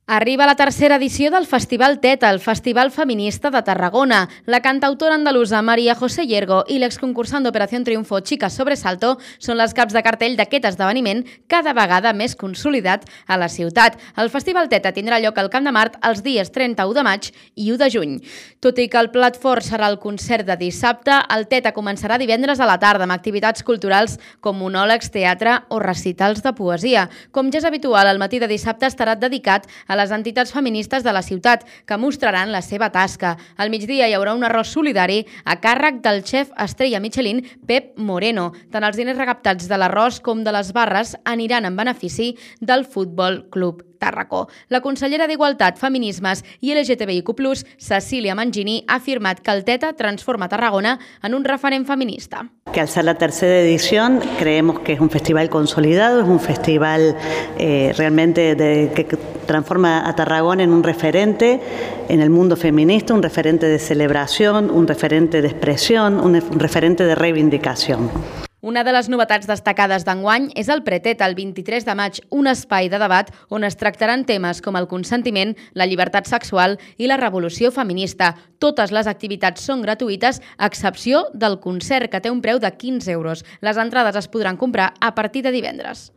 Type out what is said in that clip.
Arriba la tercera edició del Festival Teta, el Festival Feminista de Tarragona. La cantautora andalusa María José Llergo i l'exconcursant d'Operació Triunfo Chicas Sobresalto són les caps de cartell d'aquest esdeveniment cada vegada més consolidat a la ciutat. El Festival Teta tindrà lloc al Camp de Mart els dies 31 de maig i 1 de juny. Tot i que el plat fort serà el concert de dissabte, el Teta començarà divendres a la tarda amb activitats culturals com monòlegs, teatre o recitals de poesia. Com ja és habitual, el matí de dissabte estarà dedicat a les entitats feministes de la ciutat, que mostraran la seva tasca. Al migdia hi haurà un arròs solidari a càrrec del xef estrella Michelin Pep Moreno. Tant els diners recaptats de l'arròs com de les barres aniran en benefici del Futbol Club Tàrraco. La consellera d'Igualtat, Feminismes i LGTBIQ+, Cecília Mangini, ha afirmat que el Teta transforma Tarragona en un referent feminista. Que al ser la tercera edición creemos que es un festival consolidado, es un festival realmente que transforma a Tarragona en un referente en el mundo feminista, un referente de celebración, un referente de expresión, un referente de reivindicación. Una de les novetats destacades d'enguany és el Preteta, el 23 de maig, un espai de debat on es tractaran temes com el consentiment, la llibertat sexual i la revolució feminista. Totes les activitats són gratuïtes, a excepció del concert, que té un preu de 15 euros. Les entrades es podran comprar a partir de divendres.